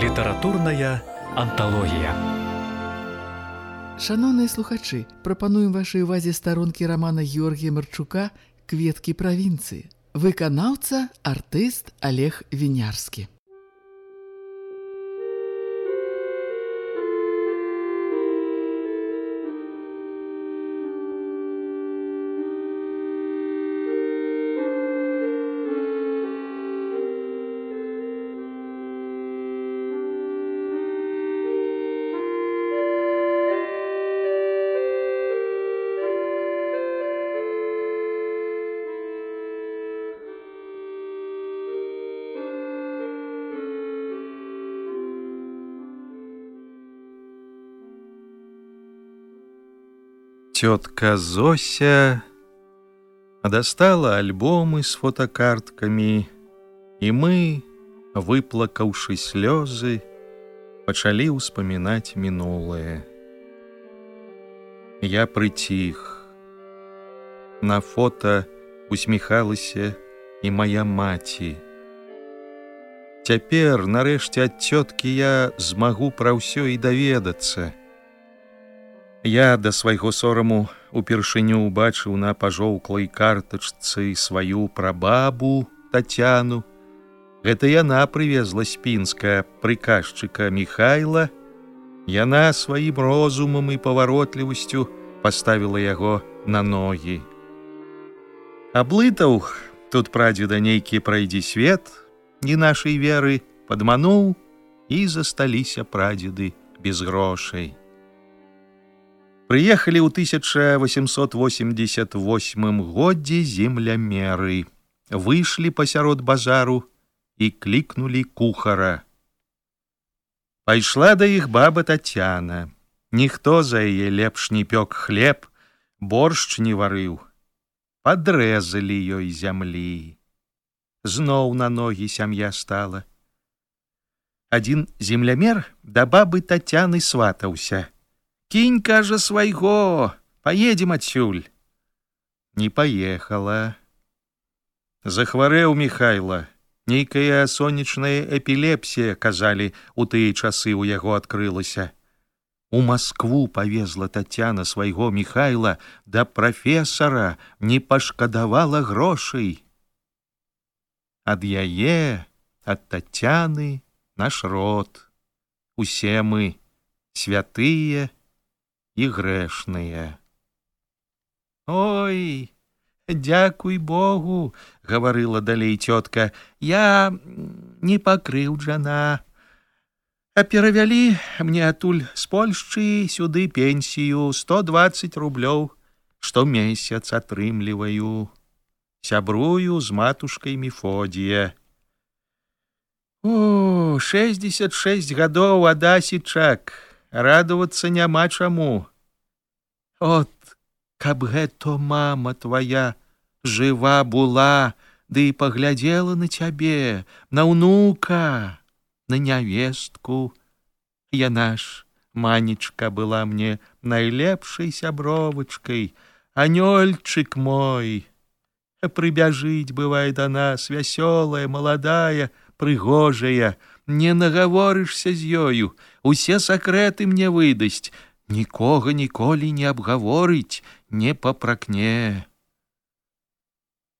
Літаратурная анталогія. Шановныя слухачы, прапануем вашай увазе старонкі рамана Георгія Марчука «Кветкі правінцыі». Выканаўца, артыст Олег Вінярскі. Тетка Зося достала альбомы с фотокартками, и мы, выплакавши слезы, пачалі ўспамінаць мінулае. Я прыціх. На фото усміхалася і моя маці. Цяпер, нарэшце, ад цёткі я змагу пра ўсё і даведацца. Я да свайго сораму упершыню убачыў на пажоўклай картачцы сваю прабабу Тацяну. Гэта яна прывезла з Пінска прыказчыка Міхайла. Яна сваім розумам і паваротлівасцю паставіла яго на ногі. Аблытаў тут прадзеда нейкі прайдзі свет, не нашай веры, падмануў, і засталіся прадзеды без грошай. Прыехалі ў 1888 годзе землямеры, выйшлі пасярод базару і клікнулі кухара. Пайшла да іх баба Тацяна. Ніхто за яе лепш не пёк хлеб, боршч не варыў. Падрэзалі ёй зямлі. Зноў на ногі сям'я стала. Адзін землямер да бабы Тацяны сватаўся. «Кинь, кажа, свайго, поедем адсюль». Не поехала. Захварэў Міхайла. Нейкая сонечная эпілепсія, казалі, у тыя часы ў яго адкрылася. У Маскву павезла Тацяна свайго Міхайла, да прафесара не пашкадавала грошай. Ад яе, ад Тацяны наш род. Усе мы святыя і грэшныя. «Ой, дзякуй Богу, — гаварыла далей цётка, — я не пакрыўджана. А перавялі мне атуль з Польшчы сюды пенсію 120 рублёў, штомесяц атрымліваю. Сябрую з матушкай Мефодія. О, 66 гадоў, Адасічак, радавацца няма чаму. От, каб гэта мама твоя жыва була, ды і паглядзела на цябе, на ўнука, на нявестку. Яна ж, манечка, была мне найлепшай сябровачкай, анёльчык мой. Прыбяжыць, бывае, да нас, вясёлая, маладая, прыгожая, не нагаворышся з ёю, усе сакрэты мне выдасць, нікога ніколі не абгаворыць, не папракне.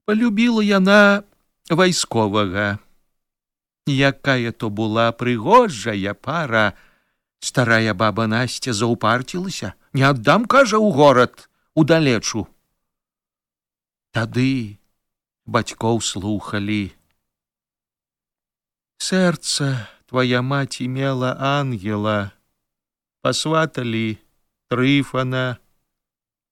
Полюбіла яна вайсковага. Якая то була прыгожая пара. Старая баба Настя заўпарцілася. Не аддам, кажа, у горад, удалечу. Тады бацькоў слухалі. Сэрца твоя маці мела ангела, пасваталі Трыфана,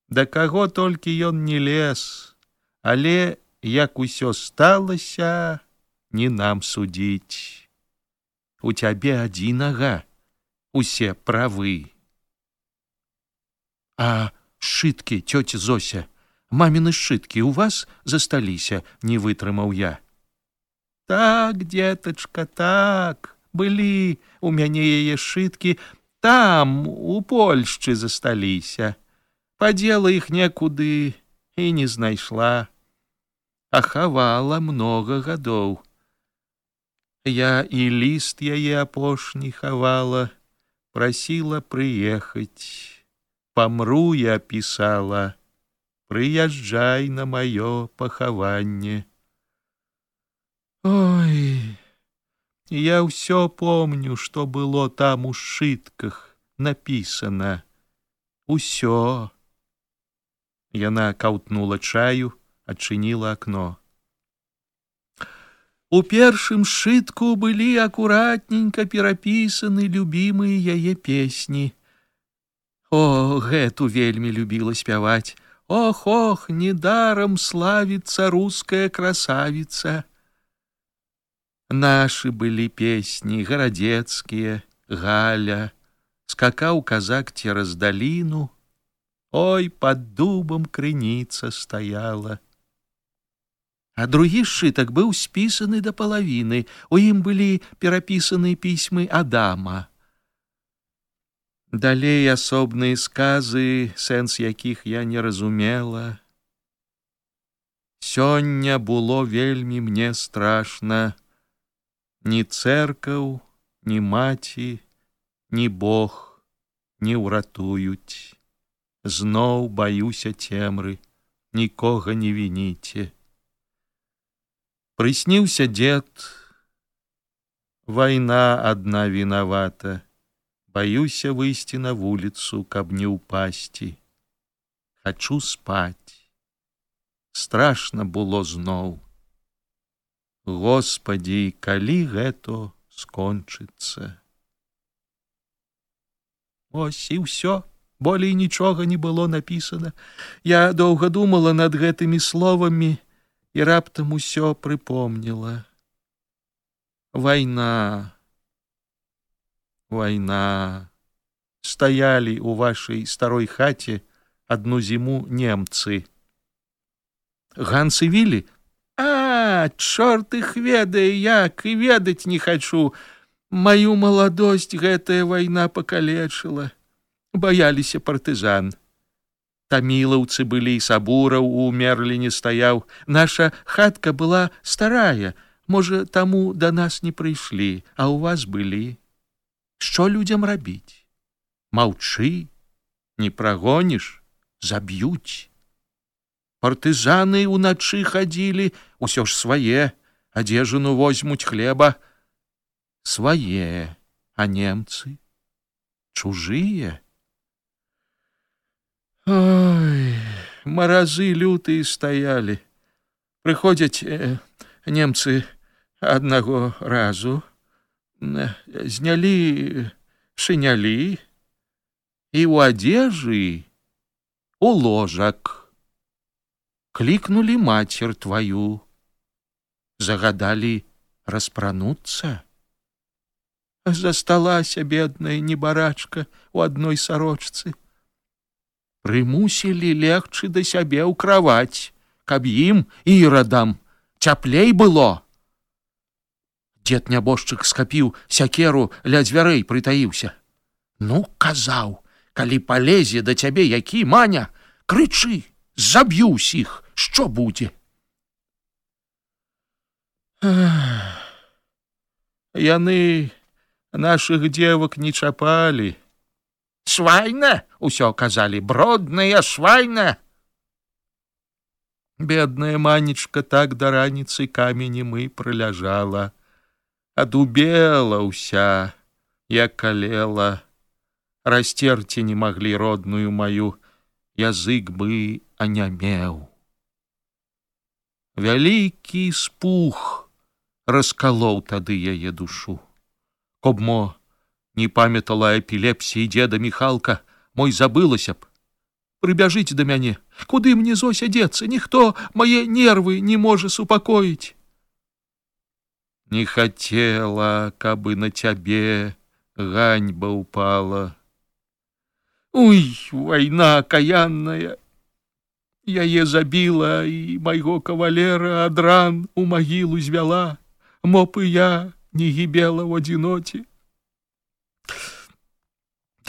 да каго толькі ён не лез, але як усё сталася, не нам судзіць. У цябе адзінага усе правы. А сшыткі, цёця Зося, маміны сшыткі у вас засталіся, не вытрымаў я. Так, дзетачка, так, былі у мяне яе сшыткі, там, у Польшчы засталіся. Падзела іх некуды і не знайшла. А хавала многа гадоў. Я і ліст яе апошні хавала, прасіла прыехаць. Памру я пісала, прыязджай на маё пахаванне. Ой, я ўсё помню, што было там у сшытках напісана. Усё. Яна каўтнула чаю, адчыніла акно. У першым сшытку былі акуратненька перапісаны любімыя яе песні. О, гэту вельмі любіла спяваць. Ох, ох, недаром славіцца руская красавіца. Нашы былі песні, гарадзецкія, Галя, скакаў казак цераз даліну. Ой, пад дубам крыніца стаяла. А другі сшытак быў спісаны да палавіны. У ім былі перапісаны пісьмы Адама. Далей асобныя сказы, сэнс якіх я не разумела. Сёння было вельмі мне страшна. Ні цэркаў, ні маці, ні Бог не ўратуюць. Зноў баюся цемры, нікога не вініце. Прысніўся дзед, вайна адна вінавата. Баюся выйсці на вуліцу, каб не ўпасці. Хачу спаць. Страшна было зноў. Господі, калі гэта скончыцца? Ось і ўсё. Болей нічога не было напісана. Я доўга думала над гэтымі словамі і раптам усё прыпомніла. Вайна. Вайна. Стаялі ў вашай старой хаце адну зіму немцы. Ганс і Вілі? А, чорт іх ведае, як, і ведаць не хачу. Маю маладосць гэтая вайна пакалечыла. Баяліся партызан. Тамілаўцы былі, Сабураў у Мерліне стаяў. Наша хатка была старая, можа, таму да нас не прыйшлі, а ў вас былі. Што людзям рабіць? Маўчы, не прагоніш, заб'юць. Партызаны ўначы хадзілі, усё ж свае, адзежыну возьмуць, хлеба. Свае, а немцы? Чужыя? Ой, маразы лютыя стаялі. Прыходзяць немцы аднаго разу, знялі шынялі і ў адзежы, у ложак. Клікнулі мацер тваю, загадалі распрануцца. Засталася бедная небарачка у адной сарочцы. Прымусілі легчы да сябе ў краваць, каб ім, ірадам, цяплей было. Дзед нябожчык скапіў сякеру, ля дзвярэй прытаіўся. Ну, казаў, калі палезе да цябе які Маня, крычы, заб'ю ўсіх, што будзе? Яны нашых дзевак не чапалі. Свайна, усё казалі, бродная свайна. Бедная Манечка так да раніцы каменем і прыляжала. Адубела ўся, як калела. Расцерці не маглі родную маю, язык бы анямеў. Вялікі спух раскалоў тады яе душу. Каб мо не памятала эпілепсіі дзеда Міхалка, мой забылася б. Прыбяжыць да мяне, куды мне Зося дзецца, ніхто мае нервы не можа супакоіць. Не хацела, каб на цябе ганьба ўпала. Уй, вайна акаянная. Яе забіла і майго кавалера ад ран у магілу звяла. Моб і я не гібела ў адзіноце.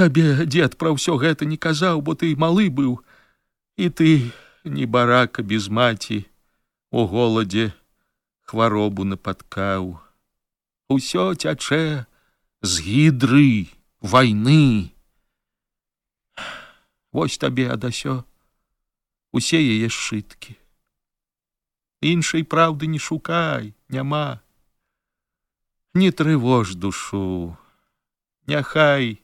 Табе дзед пра ўсё гэта не казаў, бо ты малы быў, і ты, небарака без маці, у голадзе хваробу напаткаў. усё цячэ з гідры вайны. Вось табе адасё усе яе сшыткі. Іншай праўды не шукай, няма. Не трывож душу, няхай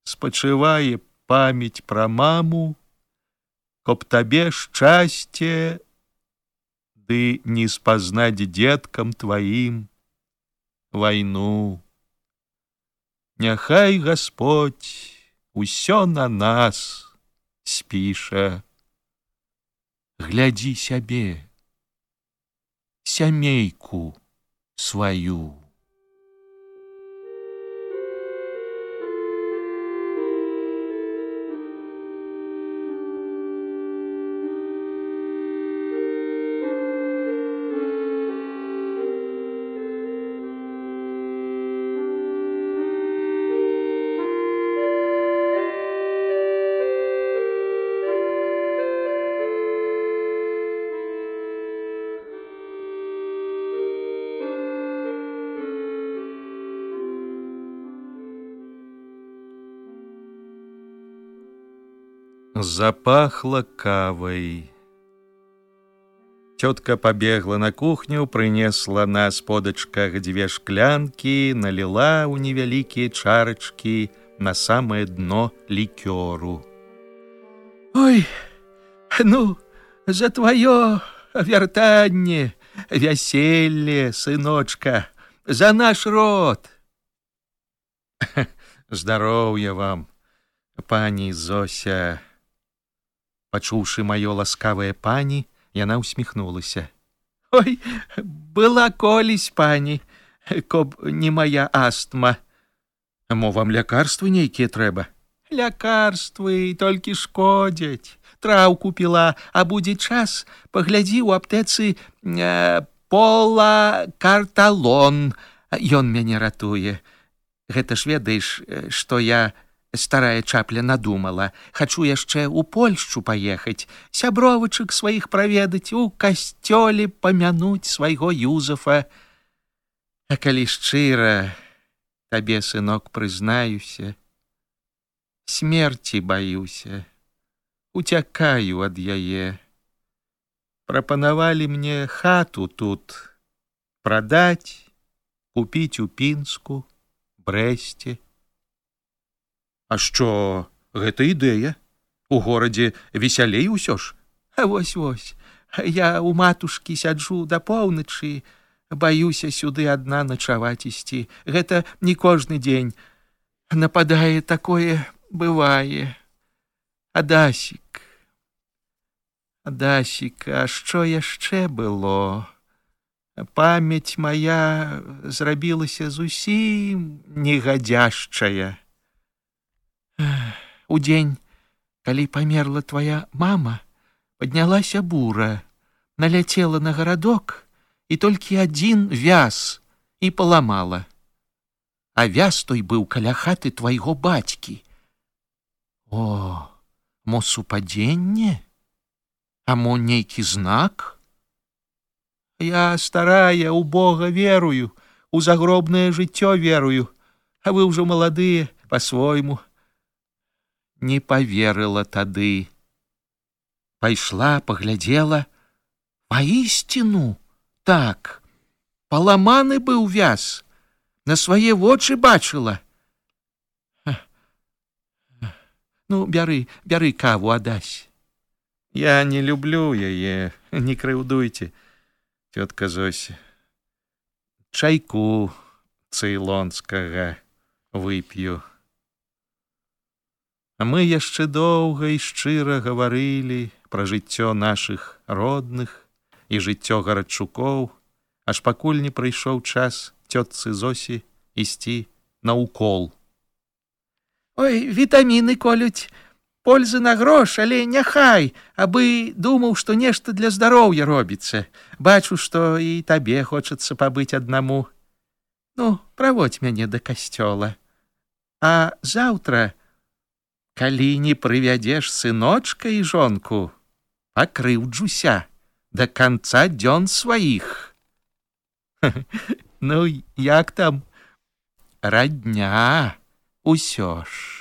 спачывае памяць пра маму, каб табе шчасце ды не спазнаць дзеткам тваім вайну. Няхай Гасподзь усё на нас спіша. Глядзі сябе, сямейку сваю. Запахло кавой. Тетка побегла на кухню, принесла на сподочках 2 шклянки, налила у невеликие чарочки на самое дно ликеру. «Ой, ну, за твое вертанье, веселье, сыночка, за наш род!» «Здоровья вам, пани Зося!» Пачуўшы маё ласкавае пані, яна ўсміхнулася. «Ой, была колісь, пані, каб не моя астма». «Мо вам лякарствы нейкія трэба?» «Лякарствы толькі шкодзяць. Траўку піла, а будзе час, паглядзі ў аптэцы полакарталон. Ён мяне ратуе. Гэта ж ведаеш, што я... Старая чапля надумала. Хачу яшчэ ў Польшчу паехаць, сябровачак сваіх праведаць, у касцёле памянуць свайго Юзафа. А калі шчыра, табе, сынок, прызнаюся, смерці баюся, уцякаю ад яе. Прапанавалі мне хату тут прадаць, купіць у Пінску, Брэсце. А што, гэта ідэя? У горадзе весялей усё ж? Вось-вось, я у матушкі сяджу да поўначы, баюся сюды адна начаваць ісці. Гэта не кожны дзень. Нападае такое, бывае. Адасік, а што яшчэ было? Памяць мая зрабілася зусім негадзяшчая. У дзень, калі памерла твая мама, паднялася бура, наляцела на гарадок і толькі адзін вяз і паламала. А вяз той быў каля хаты твайго бацькі. О, мо супадзенне? А мо нейкі знак? Я старая, у Бога верую, у загробнае жыццё верую, а вы ўжо маладыя, па-свойму. Не поверыла тады. Пайшла, паглядзела. Паісціну, так, паламаны быў вяз, на свае вочы бачыла. Ну, бяры каву, Адась. Я не люблю яе, не крыўдуйце, тётка Зося. Чайку цейлонскага вып'ю. А мы яшчэ доўга і шчыра гаварылі пра жыццё нашых родных і жыццё гарадчукоў, аж пакуль не прыйшоў час цётцы Зосі ісці на укол. Ой, вітаміны колюць, пользы на грош, але няхай, абы думаў, што нешта для здароўя робіцца. Бачу, што і табе хочацца пабыць аднаму. Ну, праводзь мяне да касцёла. А заўтра, калі не прывядзеш сыночка і жонку, пакрыўджуся да канца дзён сваіх. Ну, як там? Радня, усё ж.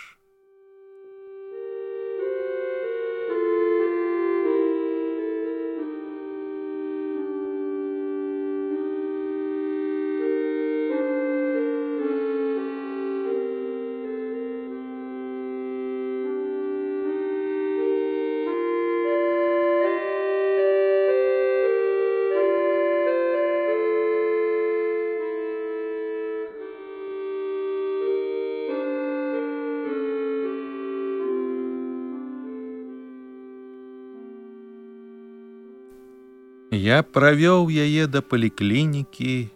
Я правёў яе да паліклінікі,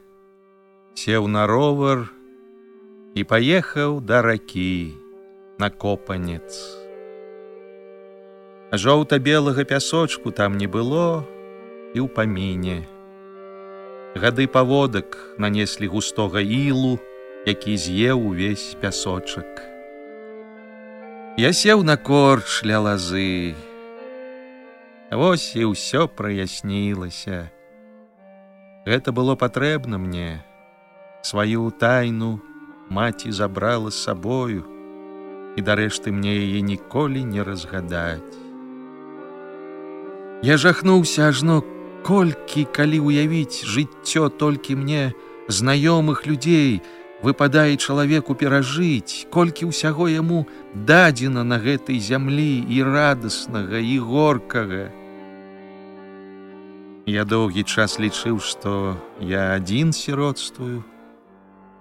сеў на ровар і паехаў да ракі на Копанец. Жоўта-белага пясочку там не было і ў паміне. Гады паводак нанеслі густога ілу, які з'еў увесь пясочак. Я сеў на корч ля лазы. Вось і ўсё праяснілася. Гэта было патрэбна мне. Сваю тайну маці забрала з сабою, і дарэшты мне яе ніколі не разгадаць. Я жахнуўся ажно, колькі, калі ўявіць жыццё толькі мне знаёмых людзей, выпадае чалавеку перажыць, колькі ўсяго яму дадзена на гэтай зямлі і радаснага, і горкага. Я доўгі час лічыў, што я адзін сіротствую,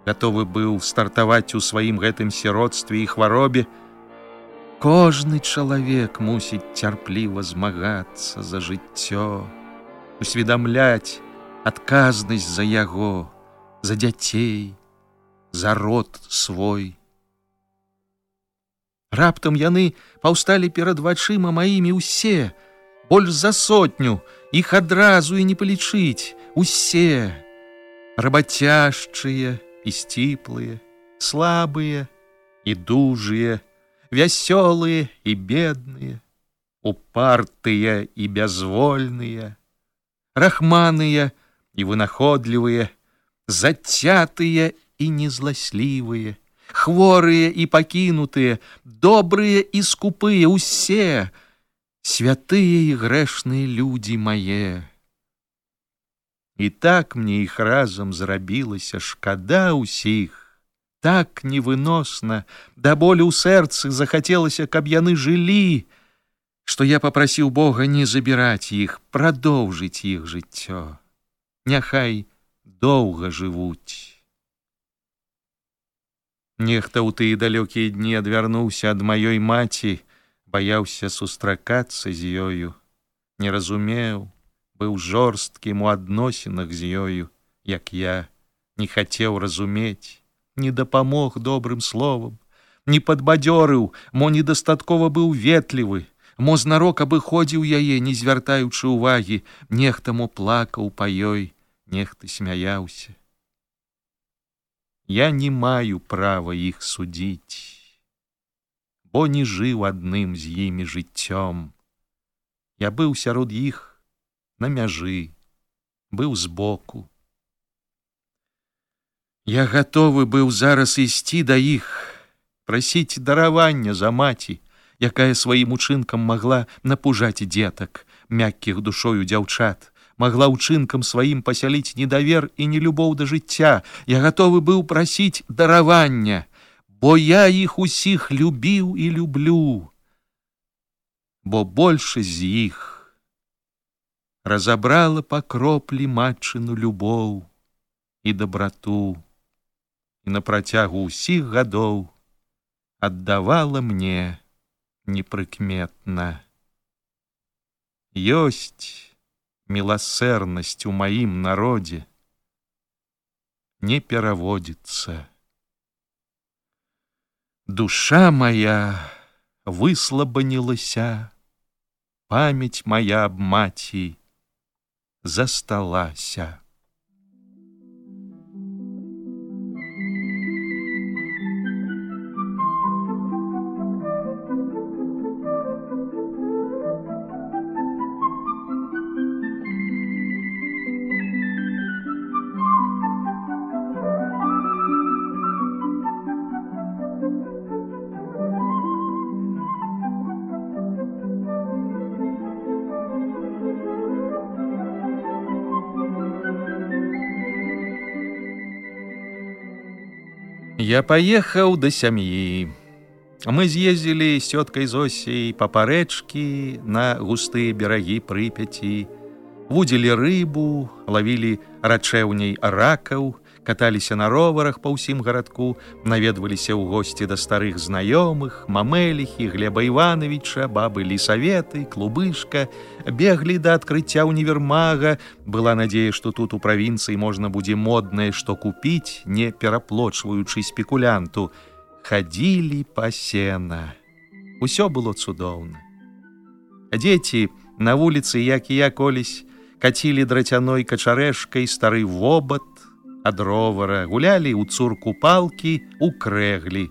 гатовы быў стартаваць у сваім гэтым сіротстве і хваробе. Кожны чалавек мусіць цярпліва змагацца за жыццё, усведамляць адказнасць за яго, за дзяцей, за род свой. Раптам яны паўсталі перад вачыма маімі ўсе, больш за 100, іх адразу і не палічыць, усе, рабацяжчыя і сціплыя, слабыя і дужыя, вясёлыя і бедныя, упартыя і бязвольныя, рахманыя і вынаходлівыя, зацятыя і незласлівыя, хворыя і пакінутыя, добрыя і скупыя, усе, святыя і грэшныя людзі мае. І так мне іх разам зрабілася шкада ўсіх, так невыносна, да болю ў сэрцы захацелася, каб яны жылі, што я папрасіў Бога не забіраць іх, прадоўжыць іх жыццё. Няхай доўга жывуць. Нехта ў тыя далёкія дні адвярнуўся ад маёй маці, баяўся сустракацца з ёю, не разумеў, быў жорсткім у адносінах з ёю, як я, не хацеў разумець, не дапамог добрым словам, не падбадзёрыў, мо недастаткова быў ветлівы, мо знарок абыходзіў яе, не звяртаючы ўвагі, нехта мо плакаў па ёй, нехта смяяўся. Я не маю права іх судзіць, бо не жыў адным з імі жыццём. Я быў сярод іх на мяжы, быў збоку. Я гатовы быў зараз ісці да іх, прасіць даравання за маці, якая сваім учынкам магла напужаць дзетак, мяккіх душою дзяўчат, магла ўчынкам сваім пасяліць недавер і нелюбоў да жыцця. Я гатовы быў прасіць даравання, бо я іх усіх любіў і люблю, бо большасць з іх разабрала па кроплі матчыну любоў і дабрату, і на працягу ўсіх гадоў аддавала мне непрыкметна. Ёсць міласэрнасць у маім народзе, не пераводзіцца. Душа моя выслабанілася, памяць моя аб маці засталася. Я паехаў да сям'і. Мы з'ездзілі з цёткай Зосей па парэчкі на густыя берагі Прыпяці, вудзілі рыбу, лавілі рачэўняй ракаў, каталіся на роварах па ўсім гарадку, наведваліся ў госці да старых знаёмых, Мамэліхі, Глеба Івановича, бабы Лісаветы, Клубышка, беглі да адкрыцця універмага. Была надзея, што тут у правінцыі можна будзе моднае што купіць, не пераплочваючы спекулянту. Хадзілі па сена. Усё было цудоўна. Дзеці на вуліцы, як і я колісь, кацілі драцяной качарэшкай стары вобат ад ровара, гулялі ў цурку палкі, у крэглі.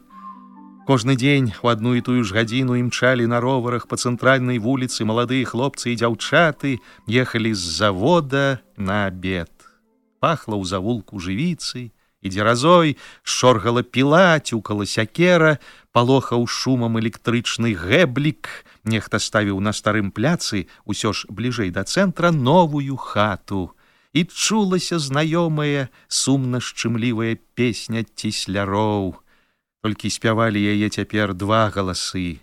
Кожны дзень у адну і тую ж гадзіну імчалі на роварах па цэнтральнай вуліцы маладыя хлопцы і дзяўчаты, ехалі з завода на абед. Пахла ў завулку жывіцай і дзеразой, шоргала піла, цюкала сякера, палохаў шумам электрычны гэблік. Нехта ставіў на старым пляцы, усё ж бліжэй да цэнтра, новую хату. І чулася знаёмая, сумна-шчымлівая песня цісляроў. Толькі спявалі яе цяпер два галасы.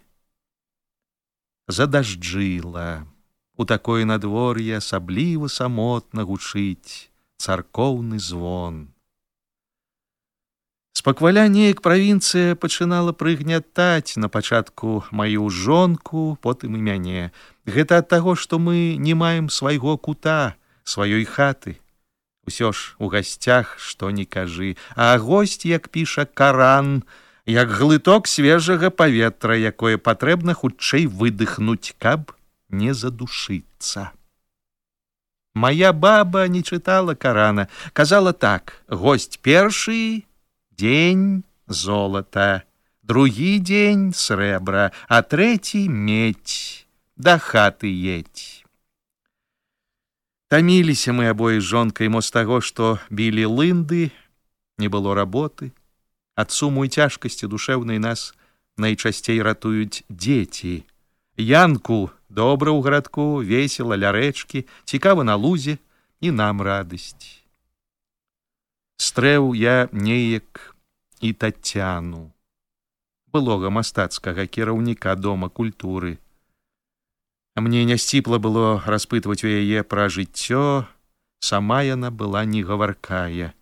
Задажджыла. У такое надвор'е асабліва самотна гучыць царкоўны звон. Спакваля неяк правінцыя пачынала прыгнятаць на пачатку маю жонку, потым і мяне. Гэта ад таго, што мы не маем свайго кута, сваёй хаты. Усё ж у гасцях што ні кажы, а госць, як піша Каран, як глыток свежага паветра, якое патрэбна хутчэй выдыхнуць, каб не задушыцца. Мая баба не чытала Карана, казала так: госць першы дзень золата, другі дзень срэбра, а трэці медь, да хаты едь. Таміліся мы абое з жонкай мо з таго, што білі лынды, не было работы. Ад суму і цяжкасці душэўнай нас найчасцей ратуюць дзеці. Янку добра ў гарадку, весела ля рэчкі, цікава на лузе, і нам радасць. Стрэў я неяк і Тацяну, былога мастацкага кіраўніка дома культуры. Мне нясціпла было распытваць у яе пра жыццё, сама яна была негаваркая.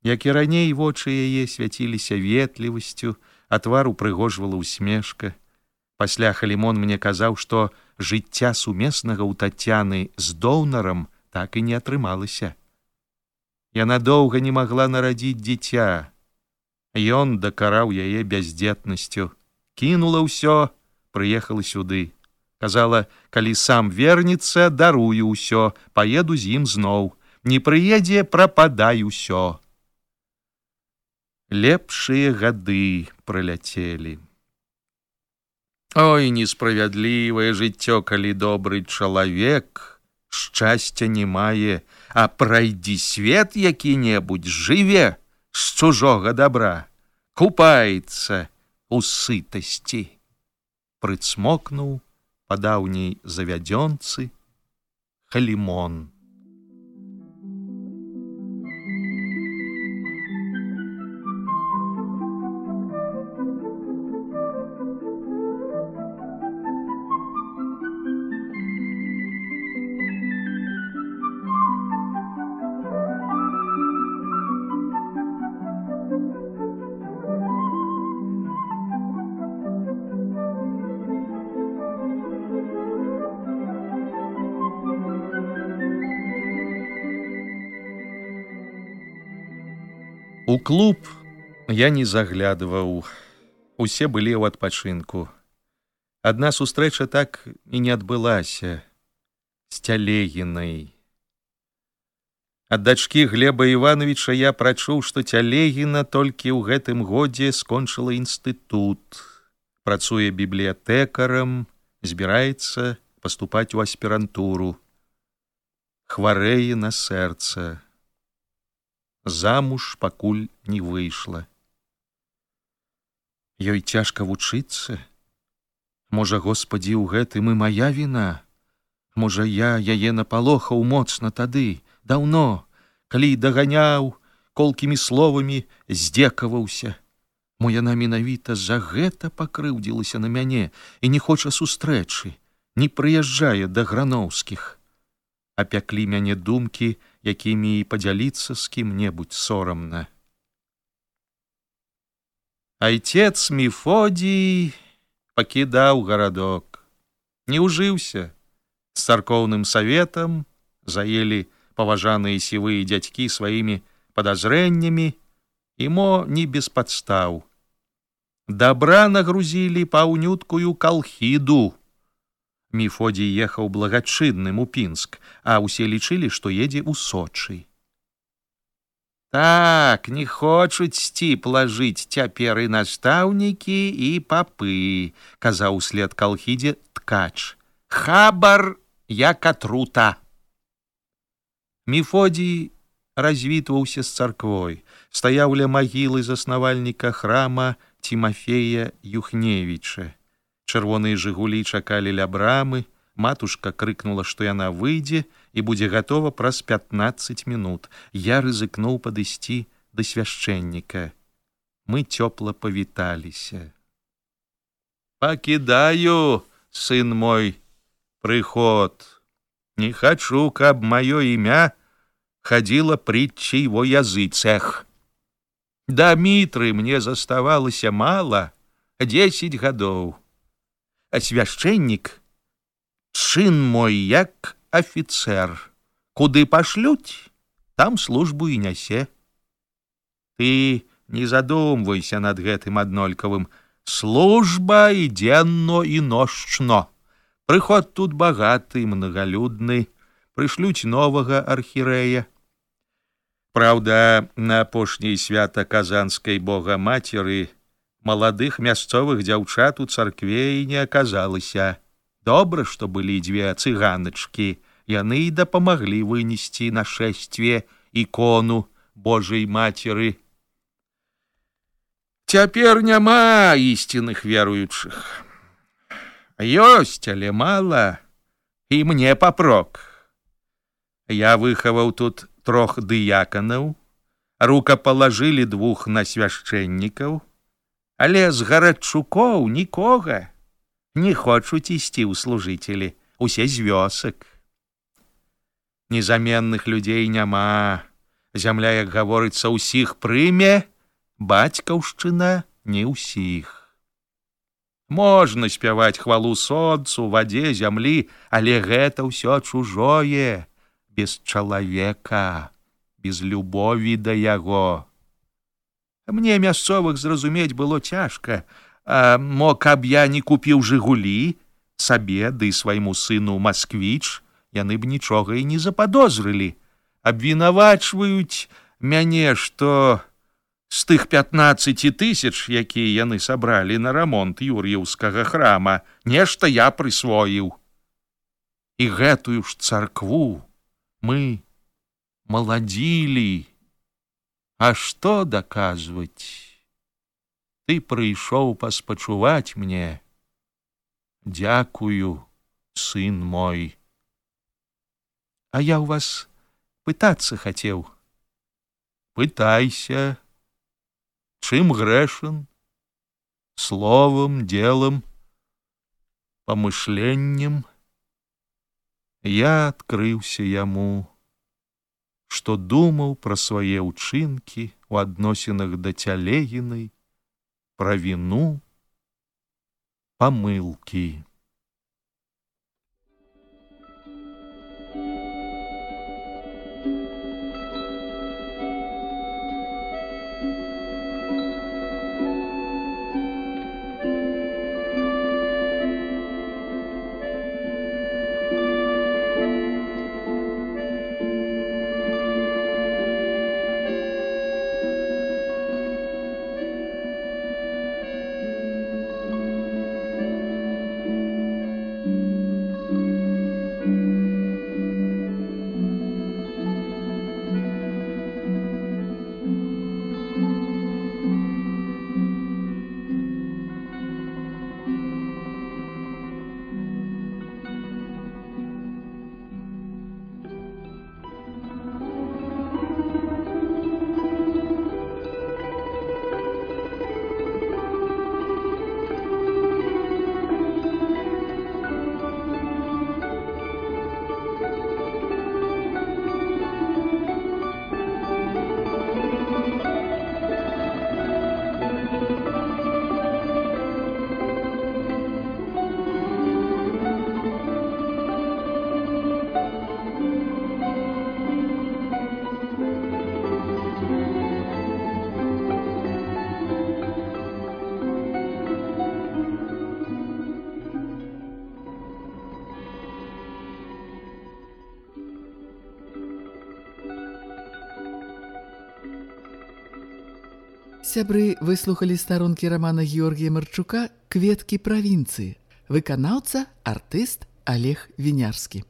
Як і раней, вочы яе свяціліся ветлівасцю, а твар упрыгожвала усмешка. Пасля Халімон мне казаў, што жыцця сумеснага ў Тацяны з доўнарам так і не атрымалася. Яна доўга не магла нарадзіць дзіця. Ён дакараў яе бяздзетнасцю. Кінула ўсё, прыехала сюды. Казала, калі сам вернецца, дарую ўсё, паеду з ім зноў. Не прыедзе, прападай усё. Лепшыя гады праляцелі. Ой, несправядлівае жыццё, калі добры чалавек шчасця не мае, а прайдзі свет які-небудзь, жыве з чужога дабра, купаецца у сытасці. Прыцмокнуў па даўняй завядзёнцы Халімон. У клуб я не заглядываў, усе былі ў адпачынку. Адна сустрэча так і не адбылася з Цялегінай. Ад дачкі Глеба Івановича я прачуў, што Цялегіна толькі ў гэтым годзе скончыла інстытут, працуе бібліятэкарам, збіраецца паступаць у аспірантуру. Хварэе на сэрца. Замуж пакуль не выйшла. Ёй цяжка вучыцца. Можа, Господі, у гэтым і мая віна. Можа, я яе напалохаў моцна тады, даўно, калі даганяў, колкімі словамі здзекаваўся. Мо яна менавіта за гэта пакрыўдзілася на мяне і не хоча сустрэчы, не прыязджае да Грановскіх. Апяклі мяне думкі, якімі і падзяліцца з кім-небудзь сорамна. Айцец Мефодий пакідаў гарадок, не ўжыўся з царкоўным саветам, заелі паважаныя сівыя дзядзькі сваімі падазрэннямі, і мо не без падстаў. Дабра нагрузілі паўнюткую калхіду. Мефодий ехаў благачынным у Пінск, а ўсе лічылі, што едзе ў Сочы. Так, не хочуць сціпла жыць цяпер і настаўнікі, і папы, казаў услед калхідзе ткач. Хабар як атрута. Мефодий развітваўся з царквой, стаяў ля магілы заснавальніка храма Тимофея Юхневіча. Чырвоныя жыгулі чакалі ля брамы, матушка крыкнула, што яна выйдзе і будзе гатова праз 15 мінут. Я рызыкнуў падысці да свяшчэнніка. Мы цёпла павіталіся. Пакідаю, сын мой, прыход. Не хачу, каб маё імя ходила притчей во языцах. Да Митры мне заставалася мало, 10 гадоў. А свяшчэннік, чын мой як афіцэр. Куды пашлюць, там службу і нясе. Ты не задумвайся над гэтым аднолькавым. Служба і дзенно, і ночно. Прыход тут багаты, многолюдны. Прышлюць новага архірэя. Праўда, на апошняе свята казанскай Богамацеры маладых мясцовых дзяўчат у царкве і не аказалася. Добра, што былі 2 цыганачкі. Яны і дапамаглі вынесці на шэсцве ікону Божай Мацеры. Цяпер няма ісціных веруючых. Ёсць, але мала, і мне папрок. Я выхаваў тут 3 дыяканаў, рукапалажылі 2 на свяшчэннікаў, але з гарадчукоў нікога. Не хочуць ісці ў служыцелі, усе з вёсак. Незаменных людзей няма. Зямля, як гаворыцца, усіх прыме, бацькаўшчына не ўсіх. Можна спяваць хвалу сонцу, вадзе, зямлі, але гэта ўсё чужое, без чалавека, без любові да яго. Мне мясцовых зразумець было цяжка, а мо каб я не купіў жыгулі, сабе ды свайму сыну Масквіч, яны б нічога і не западозрылі. Абвінавачваюць мяне, што з тых 15 000, якія яны сабралі на рамонт Юр'еўскага храма, нешта я прысвоіў. І гэтую ж царкву мы маладзілі. А што даказваць? Ты прыйшоў паспачуваць мне. Дзякую, сын мой. А я ў вас пытацца хацеў. Пытайся. Чым грэшен? Словом, делом, помышленнем. Я адкрыўся яму, што думаў пра свае ўчынкі у адносінах да цялегінай, пра віну, памылкі. Сябры, выслухалі старонкі рамана Георгія Марчука «Кветкі правінцыі». Выканаўца, артыст Олег Вінярскі.